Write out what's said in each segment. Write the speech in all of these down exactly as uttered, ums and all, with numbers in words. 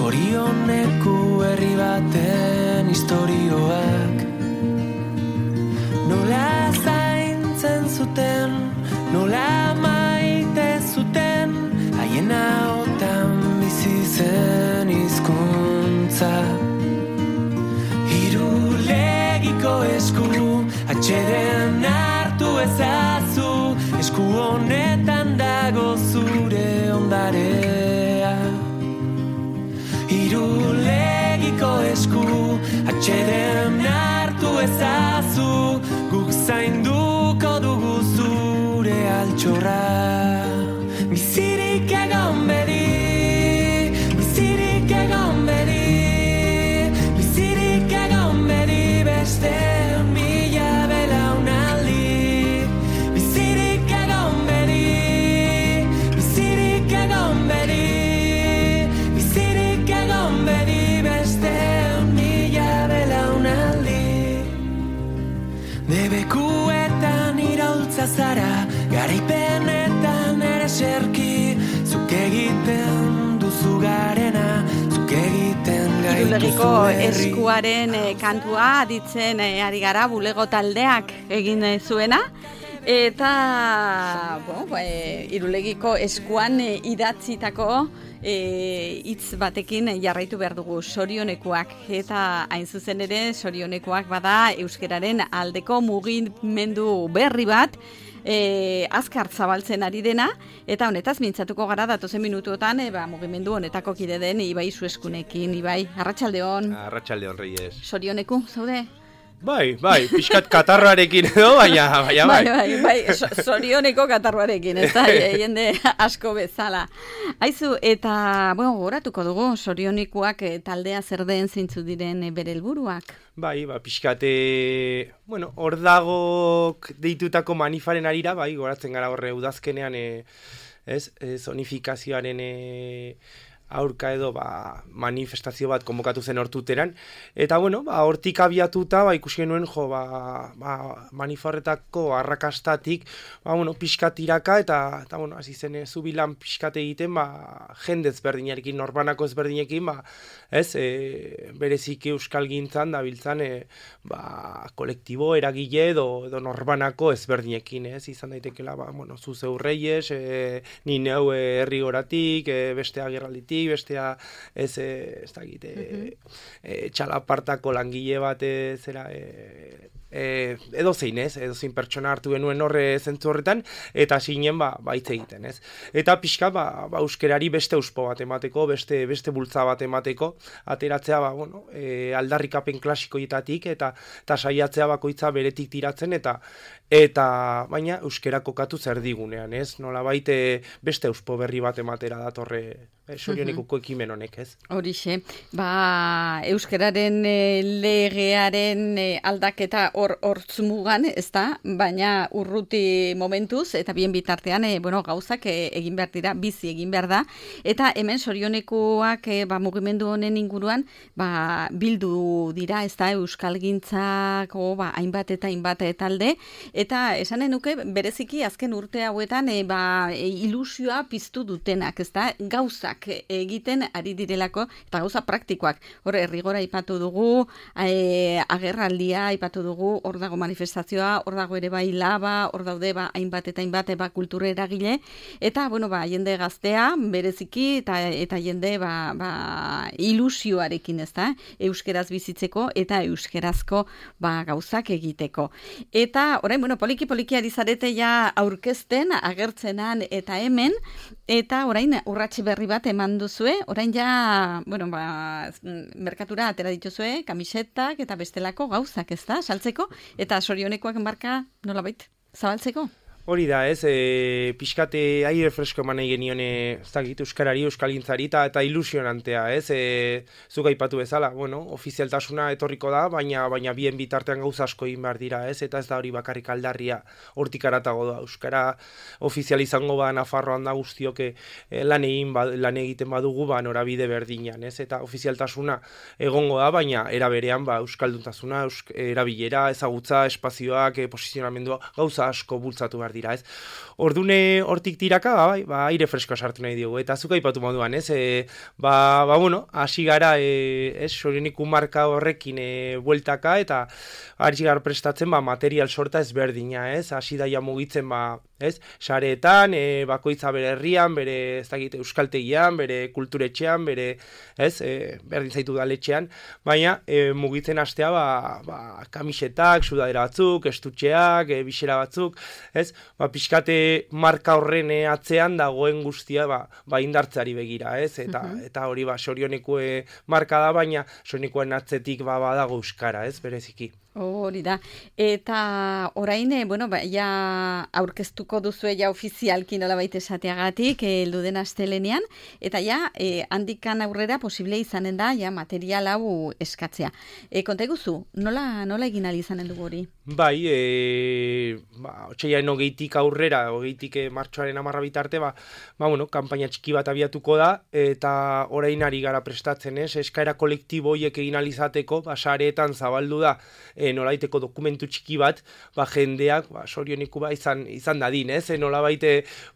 Zorioneku herri baten historioak nola zaintzen zuten, nola maite zuten, haien ahotan bizi zen hizkuntza. Irulegiko esku atxeden hartu ezazu, esku honetan dago zure ondarea. Irulegiko esku atxeden hartu ezazu, guk zainduko dugu zure altxorra. Bizirik egon bedi, bizirik egon bedi, bizirik egon bedi beste mila belaunaldi. Bizirik egon bedi, bizirik egon bedi, bizirik egon bedi beste mila belaunaldi. Debekuetan iraultza zara, garaipenetan ere serki, zuk egiten duzu garena, zuk egiten gaituzu Irulegiko herri. eskuaren eh, kantua aditzen eh, ari gara bulego taldeak egin eh, zuena. Eta bueno, e, Irulegiko eskuan e, idatzitako hitz e, batekin jarraitu behar dugu, sorionekoak. Eta hain zuzen ere sorionekoak bada euskararen aldeko mugimendu berri bat, e, azkar zabaltzen ari dena, eta honetaz mintzatuko gara datozen minutuotan e, ba, mugimendu honetako kide den Ibai Zueskunekin. Ibai, arratsaldeon. Arratsaldeon, Reyes. Sorioneku, zaude? Bai, bai, pixkat katarroarekin edo, baina, baina, bai. Bai, bai, bai, so, zorioneko katarroarekin, ez da, jende asko bezala. Aizu, eta, bueno, goratuko dugu, zorionikoak eh, taldea zer den zeintzu diren eh, bere helburuak. Bai, ba, pixkat, e, bueno, hor dagok deitutako manifaren arira, bai, goratzen gara horre udazkenean, e, ez, e, zonifikazioaren e, aurka edo ba, manifestazio bat konbokatu zen hortuteran. Eta bueno, ba, hortik abiatuta ba, ikusi genuen jo, ba, ba, maniforretako arrakastatik ba, bueno, pixkat tiraka eta, eta bueno, hasi zen zubilan pixkat egiten ba, jende ezberdinarekin, norbanako ezberdinekin, ba, ez, e, bereziki euskal gintzan dabiltzan e, ba, kolektibo eragile edo, edo norbanako ezberdinekin, ez, izan daitekela, ba, bueno, zuzeu Reyes, e, ni neu e, herri goratik, e, beste agerralditik, bestea ez, ez da egite, uh-huh. e, txalapartako langile bat e, zera, e, e, edo zein ez, edo zein pertsona hartu genuen horre zentzu horretan, eta zinen ba, ba hitz egiten, ez. Eta pixka, ba, ba euskerari beste euspo bat emateko, beste, beste bultza bat emateko, ateratzea, ba, bueno, e, aldarrikapen klasikoietatik, eta, eta saiatzea bakoitza beretik tiratzen, eta eta baina euskera kokatu zer digunean, ez? Nola baite beste euspo berri bat ematera datorre e, sorionekuko ekimen honek, ez? Horixe, ba, euskararen e, legearen e, aldaketa hor hortzmugan, ez da, baina urruti momentuz, eta bien bitartean, e, bueno, gauzak e, egin behar dira, bizi egin behar da, eta hemen sorionekoak e, ba, mugimendu honen inguruan, ba, bildu dira, ez da, euskalgintzako, ba, hainbat eta hainbat talde, eta esanen nuke, bereziki azken urte hauetan, e, ba, e, ilusioa piztu dutenak, ez da, gauzak egiten ari direlako, eta gauza praktikoak. Hor, errigora aipatu dugu, e, agerraldia aipatu dugu, hor dago manifestazioa, hor dago ere bai laba, hor daude ba, hainbat eta hainbat ba, kultura eragile, eta, bueno, ba, jende gaztea, bereziki, eta, eta jende ba, ba, ilusioarekin, ez da, euskeraz bizitzeko, eta euskerazko ba, gauzak egiteko. Eta, orain, bueno, poliki-poliki ari zarete ja aurkezten, agertzenan eta hemen, eta orain urratsi berri bat eman duzue, orain ja, bueno, ba, merkatura atera dituzue, kamisetak eta bestelako gauzak, ez da, saltzeko, eta sorionekoak marka nolabait zabaltzeko? Hori da, ez, e, pixkate aire fresko eman nahi genion, ez dakit, euskarari, euskalgintzari eta ilusionantea, ez, e, zuk aipatu bezala, bueno, ofizialtasuna etorriko da, baina baina bien bitartean gauza asko egin behar dira, ez, eta ez da hori bakarrik aldarria hortik aratago da, euskara ofizial izango ba Nafarroan da guztiok e, lan egin, ba, lan egiten badugu, ba norabide berdinan, ez, eta ofizialtasuna egongo da, baina era berean, ba, euskalduntasuna, eusk, erabilera, ezagutza, espazioak, e, posizionamendua, gauza asko bultzatu behar dira, ez? Ordune hortik tiraka, ba, bai, ba, aire fresko sartu nahi diogu, eta zuk aipatu moduan, ez? E, ba, ba, bueno, hasi gara, e, ez, Sorioniku marka horrekin e, bueltaka, eta hasi gara prestatzen, ba, material sorta ezberdina, ez? Hasi daia mugitzen, ba, ez? Sareetan, e, bakoitza bere herrian, bere, ez dakit, euskaltegian, bere kulturetxean, bere, ez? E, berdin zaitu daletxean, baina e, mugitzen hastea, ba, ba, kamisetak, sudadera batzuk, estutxeak, e, bisera batzuk, ez? Ba, pixkate marka horren atzean dagoen guztia, ba, ba indartzeari begira, ez? Eta, uh -huh. eta hori, ba, Sorioneko marka da, baina Sorionekoen atzetik, ba, badago euskara, ez? Bereziki. Hori da. Eta orain, bueno, ba, ja aurkeztuko duzu ja ofizialki nolabait esateagatik, heldu den astelenean, eta ja e, handikan aurrera posible izanen da ja material hau eskatzea. E, konta eguzu, nola, nola egin ahal izanen dugu hori? Bai, e, ba, otxaiaren hogeitik aurrera, hogeitik e, martxoaren amarra bitarte, ba, ba, bueno, kanpaina txiki bat abiatuko da, eta orain ari gara prestatzen, ez? Eskaera kolektibo horiek egin ahal izateko, ba, sareetan zabaldu da, e, nolabaiteko dokumentu txiki bat, ba, jendeak, ba, Sorioneku ba, izan, izan dadin, ez? E, nolabaite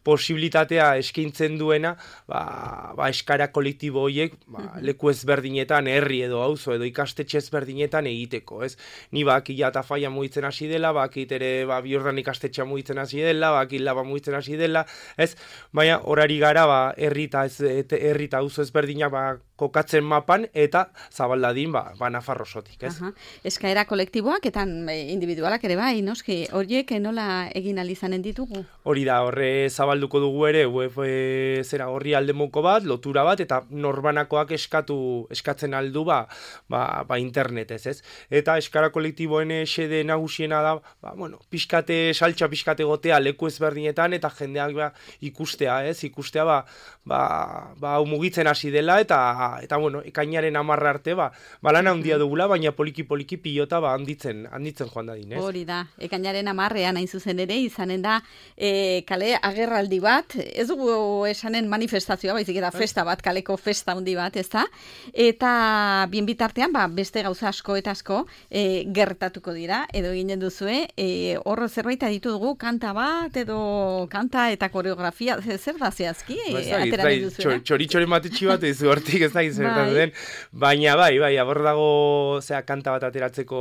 posibilitatea eskaintzen duena, ba, ba, eskaera kolektibo horiek, ba, leku ezberdinetan, herri edo auzo edo ikastetxe ezberdinetan egiteko, ez? Ni bak, ila eta faia mugitzen hasi dela, bakit ere, ba, biordan ikastetxea mugitzen hasi dela, bakit laba mugitzen hasi dela, ez? Baina, horari gara, ba, herri eta ez, herri eta auzo ezberdinak, ba, kokatzen mapan, eta zabaldadin, ba, ba Nafarrosotik, ez? Aha. Eskaera kolektiboak, eta individualak ere bai, noski, horiek nola egin alizanen ditugu? Hori da, horre zabalduko dugu ere, web, e, zera, horri aldemoko bat, lotura bat, eta norbanakoak eskatu, eskatzen aldu, ba, ba, ba internetez, ez? Eta eskara kolektiboen xede nagusiena da, ba, bueno, pixkate, saltxa pixkate gotea leku ezberdinetan, eta jendeak ba, ikustea, ez? Ikustea, ba, ba, ba mugitzen hasi dela, eta eta bueno, ekainaren amarra arte, ba, balana handia dugula, baina poliki-poliki pilota ba, handitzen, handitzen joan dadin, ez? Hori da, ekainaren amarrean hain zuzen ere, izanen da, e, kale agerraldi bat, ez dugu esanen manifestazioa, baizik eta festa bat, kaleko festa handi bat, ez da? Eta bien bitartean, ba, beste gauza asko eta asko e, gertatuko dira, edo ginen duzue, e, horro zerbait aditu dugu, kanta bat, edo kanta eta koreografia, zer da zehazki, e, atera duzuena? Txoritxoren batetxi bat, ez hortik ez da izertan den, baina bai, bai, abor dago zea kanta bat ateratzeko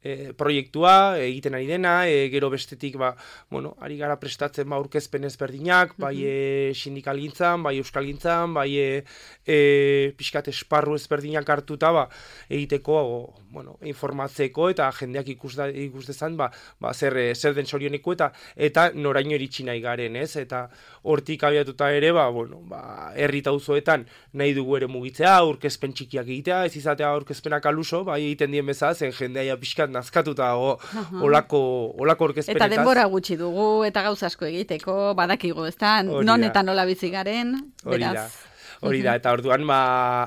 e, proiektua, egiten ari dena, e, gero bestetik, ba, bueno, ari gara prestatzen ba aurkezpen ezberdinak, bai e, sindikalgintzan, bai euskalgintzan, bai e, e, pixkat esparru ezberdinak hartuta, ba, egiteko, o, bueno, informatzeko eta jendeak ikus, da, ikus dezan, ba, ba, zer, zer den Sorioneko eta eta noraino iritsi nahi garen, ez? Eta hortik abiatuta ere, ba, bueno, ba, herri eta auzoetan nahi dugu ere mugitzea, aurkezpen txikiak egitea, ez izatea aurkezpenak aluso, bai egiten dien bezala, zen jendeaia pixkat nazkatuta o, olako, olako aurkezpenetaz. Eta denbora gutxi dugu, eta gauza asko egiteko, badakigu, ez da, non eta nola bizi garen, beraz. Hori da, eta orduan, ba,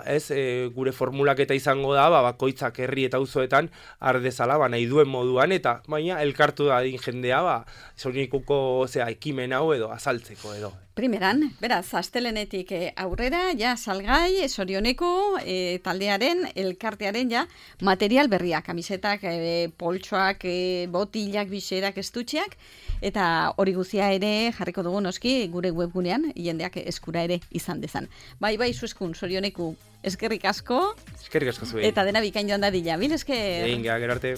ez, e, gure formulak eta izango da, ba, bakoitzak herri eta auzoetan ardezala, ba, nahi duen moduan, eta baina elkartu da din jendea, ba, Sorionekuko, osea, ekimen hau edo, azaltzeko edo. Primeran, beraz, astelenetik aurrera, ja, salgai, Sorioneko e, taldearen, elkartearen, ja, material berriak, kamisetak, e, poltsoak, e, botilak, biserak, estutxeak, eta hori guzia ere jarriko dugu noski gure webgunean, jendeak eskura ere izan dezan. Bai, bai, zueskun, Sorioneku, eskerrik asko. Eskerrik asko zuen. Eta dena bikain joan dadila, bil esker. Egin, gero arte.